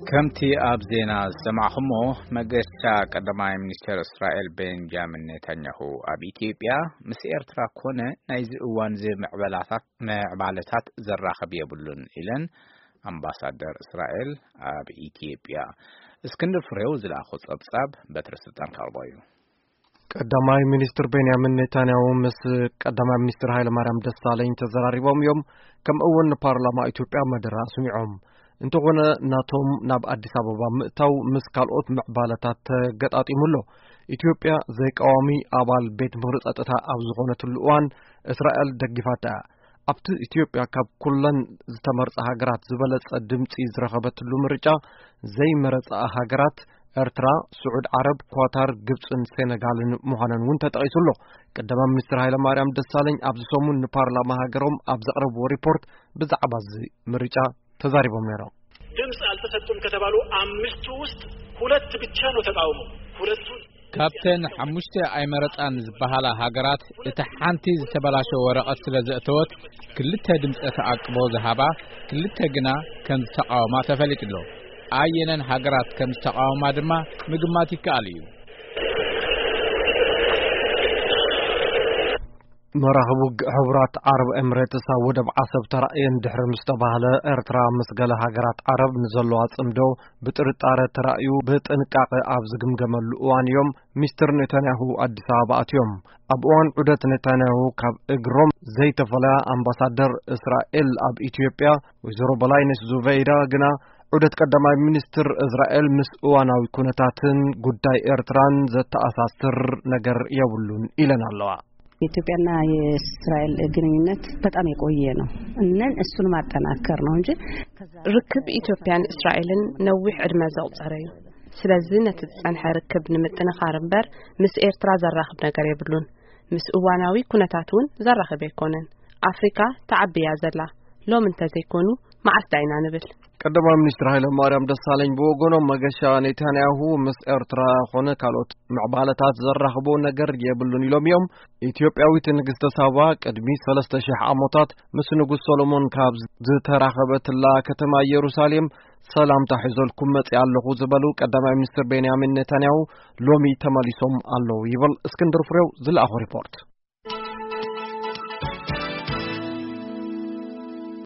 ከምቲ ኣብ ዜና ዝሰማዕኹሞ፣ መገሻ ቀዳማይ ሚኒስትር እስራኤል ቤንጃሚን ኔታንያሁ ኣብ ኢትዮጵያ ምስ ኤርትራ ኮነ ናይዚ እዋን እዚ ምዕበላታት፣ ምዕባለታት ዘራኽብ የብሉን ኢለን ኣምባሳደር እስራኤል ኣብ ኢትዮጵያ። እስክንድር ፍሬው ዝለኣኾ ጸብጻብ በትረ ስልጣን ከቕርቦ እዩ። ቀዳማይ ሚኒስትር ቤንያሚን ኔታንያሁ ምስ ቀዳማይ ሚኒስትር ሃይለማርያም ደሳለኝ ተዘራሪቦም እዮም። ከምኡ እውን ንፓርላማ ኢትዮጵያ መደረ ኣስሚዖም። እንተኾነ ናቶም ናብ ኣዲስ ኣበባ ምእታው ምስ ካልኦት ምዕባለታት ተገጣጢሙ ኣሎ። ኢትዮጵያ ዘይቀዋሚ ኣባል ቤት ምኽሪ ጸጥታ ኣብ ዝኾነትሉ እዋን እስራኤል ደጊፋታ እያ። ኣብቲ ኢትዮጵያ ካብ ኩለን ዝተመርጻ ሃገራት ዝበለጸ ድምጺ ዝረኸበትሉ ምርጫ ዘይመረጻ ሃገራት ኤርትራ፣ ስዑድ ዓረብ፣ ኳታር፣ ግብጽን ሴነጋልን ምዃነን እውን ተጠቒሱ ኣሎ። ቀዳማይ ሚኒስትር ሃይለማርያም ደሳለኝ ኣብዚ ሰሙን ንፓርላማ ሃገሮም ኣብ ዘቕረብዎ ሪፖርት ብዛዕባ እዚ ምርጫ ተዛሪቦም ነይሮም። ድምፅ አልተሰጡም ከተባሉ አምስቱ ውስጥ ሁለት ብቻ ነው ተቃውሞ። ሁለቱ ካብተን ሓሙሽተ ኣይመረጻን ዝበሃላ ሃገራት፣ እታ ሓንቲ ዝተበላሸወ ወረቐት ስለ ዘእተወት፣ ክልተ ድምጸ ተኣቅቦ ዝሃባ፣ ክልተ ግና ከም ዝተቃወማ ተፈሊጡ ኣሎ። ኣየነን ሃገራት ከም ዝተቃወማ ድማ ምግማት ይከኣል እዩ። መራኽብ ውግእ ሕቡራት ዓረብ ኤምሬትስ ኣብ ወደብ ዓሰብ ተራእየን ድሕሪ ምስ ተባህለ፣ ኤርትራ ምስ ገለ ሃገራት ዓረብ ንዘለዋ ጽምዶ ብጥርጣረ ተራእዩ ብጥንቃቐ ኣብ ዝግምገመሉ እዋን እዮም ሚስተር ኔታንያሁ ኣዲስ ኣበባ ኣትዮም። ኣብ እዋን ዑደት ኔታንያሁ ካብ እግሮም ዘይተፈለያ ኣምባሳደር እስራኤል ኣብ ኢትዮጵያ ወይዘሮ በላይነሽ ዙበይዳ ግና፣ ዑደት ቀዳማይ ሚኒስትር እስራኤል ምስ እዋናዊ ኩነታትን ጉዳይ ኤርትራን ዘተኣሳስር ነገር የብሉን ኢለን ኣለዋ። የኢትዮጵያና የእስራኤል ግንኙነት በጣም የቆየ ነው። እነን እሱን ማጠናከር ነው እንጂ ከዛ ርክብ ኢትዮጵያን እስራኤልን ነዊሕ ዕድመ ዘቑጸረ እዩ። ስለዚ ነቲ ዝጸንሐ ርክብ ንምጥንኻር እምበር ምስ ኤርትራ ዘራኽብ ነገር የብሉን። ምስ እዋናዊ ኩነታት እውን ዘራኽብ ኣይኮነን። ኣፍሪካ ተዓቢ እያ ዘላ። ሎም እንተዘይኮኑ መዓስ ዳይና ንብል? ቀዳማይ ሚኒስትር ሃይለ ማርያም ደሳለኝ ብወገኖም፣ መገሻ ኔታንያሁ ምስ ኤርትራ ኮነ ካልኦት ምዕባለታት ዘራኽቦ ነገር የብሉን ኢሎም እዮም። ኢትዮጵያዊት ንግስተ ሳባ ቅድሚ ሰለስተ ሺሕ ዓመታት ምስ ንጉስ ሰሎሞን ካብ ዝተራኸበትላ ከተማ ኢየሩሳሌም ሰላምታ ሒዞልኩም መጺኣ ኣለኹ ዝበሉ ቀዳማይ ሚኒስትር ቤንያሚን ኔታንያሁ ሎሚ ተመሊሶም ኣለዉ ይብል እስክንድር ፍሬው ዝለኣኾ ሪፖርት።